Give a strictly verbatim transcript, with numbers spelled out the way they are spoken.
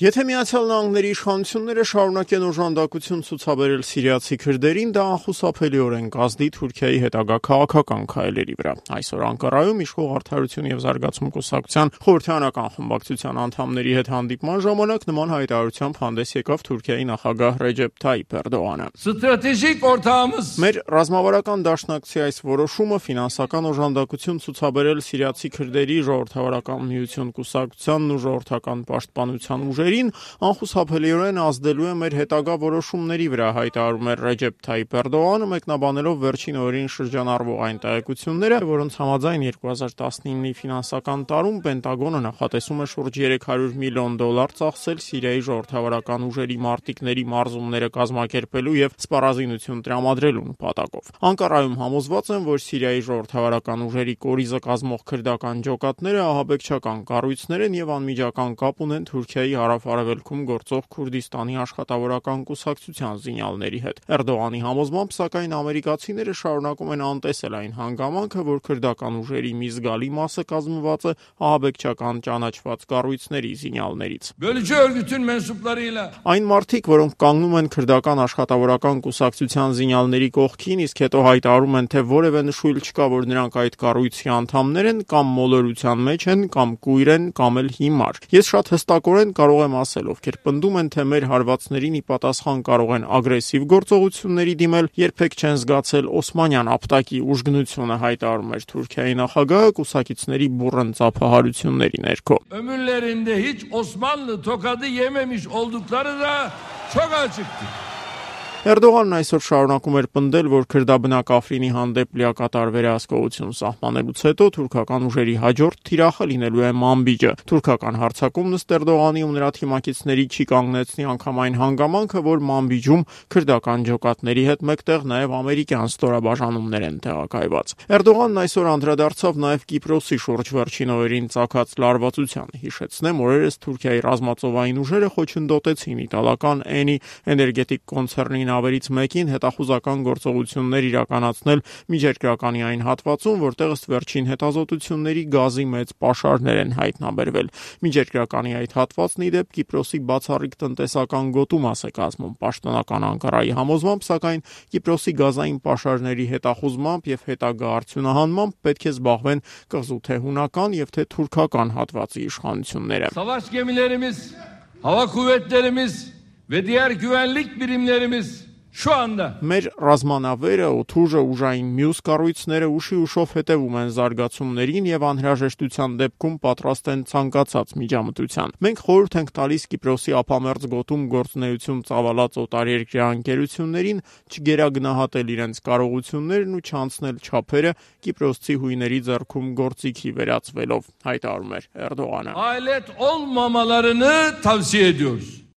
Եթե Միացյալ Նահանգների իշխանությունները շարունակեն օժանդակություն ցուցաբերել սիրիացի քրդերին, դա անխուսափելիորեն կազդի Թուրքիայի հետագա քաղաքական քայլերի վրա։ Այսօր Անկարայում իշխող Արդարություն և զարգացում կուսակցության խորհրդարանական խմբակցության անդամների հետ հանդիպման ժամանակ նման հայտարարությամբ հանդես եկավ Թուրքիայի նախագահ Ռեջեփ Թայիփ Էրդողանը։ Ստրատեգիկ օրտամыз Մեր ռազմավարական դաշնակցի այս որոշումը ֆինանսական օժանդակություն ցուցաբերել սիրիացի քրդերի ժողովրդավարական միություն կուսակցությանն ու ժողովրդական պաշտպանության ուժերին անխուսափելիորեն ազդելու է մեր հետագա որոշումների վրա, հայտարարում է Ռեջեփ Թայիփ Էրդողանը, մեկնաբանելով վերջին օրերին շրջանառվող այն տեղեկությունները, որոնց համաձայն երկու հազար տասնինի ֆինանսական տարում Պենտագոնը նախատեսում է շուրջ երեք հարյուր միլիոն դոլար ծախսել Սիրիայի ժողովրդավարական ուժերի մարտիկների մարզումները կազմակերպելու և սպառազինություն տրամադրելու նպատակով։ Անկարայում համոզված են, որ Սիրիայի ժողովրդավարական ուժերի կորիզը կազմող քրդական ջոկատները ահաբեկչական կառույցներ են և անմիջական կապ ունեն Թուրքիայի հարավ-արևելքում գործող Քուրդիստանի աշխատավորական կուսակցության զինյալների հետ։ Էրդողանի համոզմամբ, սակայն, ամերիկացիները շարունակում են անտեսել այն հանգամանքը, որ քրդական ուժերի մի զգալի մասը կազմված է ահաբեկչական ճանաչված կառույցների զինյալներից։ Bölücü örgütün mensuplarıyla Այն մարդիկ, որոնք կանգնում են քրդական աշխատավորական կուսակցության զինյալների կողքին, իսկ հետո հայտարարում են, թե որևէ նշույլ չկա, որ նրանք այդ կառույցի անդամներ են, կամ մոլորության մեջ են, կամ կույր են, կամ էլ հիմար։ Ես շատ հստակորեն կարող եմ ասել, ովքեր պնդում են, թե մեր հարվածներին ի պատասխան կարող են ագրեսիվ գործողությունների դիմել, երբեք չեն զգացել օսմանյան ապտակի ուժգնությունը, հայտարարում էր Թուրքիայի նախագահը կուսակիցների բուռն ծափահարությունների ներքո։ ömürlerinde hiç Osmanlı tokadı yememiş oldukları da çok açıktı. Էրդողանն այսօր շարունակում էր պնդել, որ քրդաբնակ Աֆրինի հանդեպ լիակատար վերահսկողություն սահմանելուց հետո թուրքական ուժերի հաջորդ թիրախը լինելու է Մանբիջը։ Թուրքական հարձակումն ըստ Էրդողանի ու նրա թիմակիցների չի կանգնեցնի անգամ այն հանգամանքը, որ Մանբիջում քրդական ջոկատների հետ մեկտեղ նաև ամերիկյան ստորաբաժանումներ են տեղակայված։ Էրդողանն այսօր անդրադարձավ նաև Կիպրոսի շուրջ վերջին օրերին ծագած լարվածությանը։ Հիշեցնեմ, օրերս Թուրքիայի ռազմածովային ուժերը խոչընդոտեցին իտալական Էնի էներգետիկ կոնցեռնի նավերից մեկին հետախուզական գործողություններ իրականացնել Միջերկրականի այն հատվածում, որտեղ ըստ վերջին հետազոտությունների գազի մեծ պաշարներ են հայտնաբերվել։ Միջերկրականի այդ հատվածն ի դեպ Կիպրոսի բացառիկ տնտեսական գոտու մաս է կազմում։ Պաշտոնական Անկարայի համոզմամբ, սակայն, Կիպրոսի գազային պաշարների հետախուզմամբ և հետագա արդյունահանմամբ պետք է զբաղվեն կղզու թե հունական և թե թուրքական հատվածի իշխանությունները։ Savaş gemilerimiz, hava kuvvetlerimiz ve diğer güvenlik birimlerimiz şu anda Մեր ռազմանավերը, օդուժը, ուժային մյուս կառույցները ուշի ուշով հետևում են զարգացումներին և անհրաժեշտության դեպքում պատրաստ են ցանկացած միջամտության։ Մենք խորհուրդ ենք տալիս Կիպրոսի ափամերձ գոտում գործունեություն ծավալած օտարերկրյա ընկերություններին չգերագնահատել իրենց կարողություններն ու չանցնել չափերը կիպրոսցի հույների ձեռքում գործիքի վերածվելով, հայտարարում էր Էրդողանը։ alet olmamalarını tavsiye ediyoruz.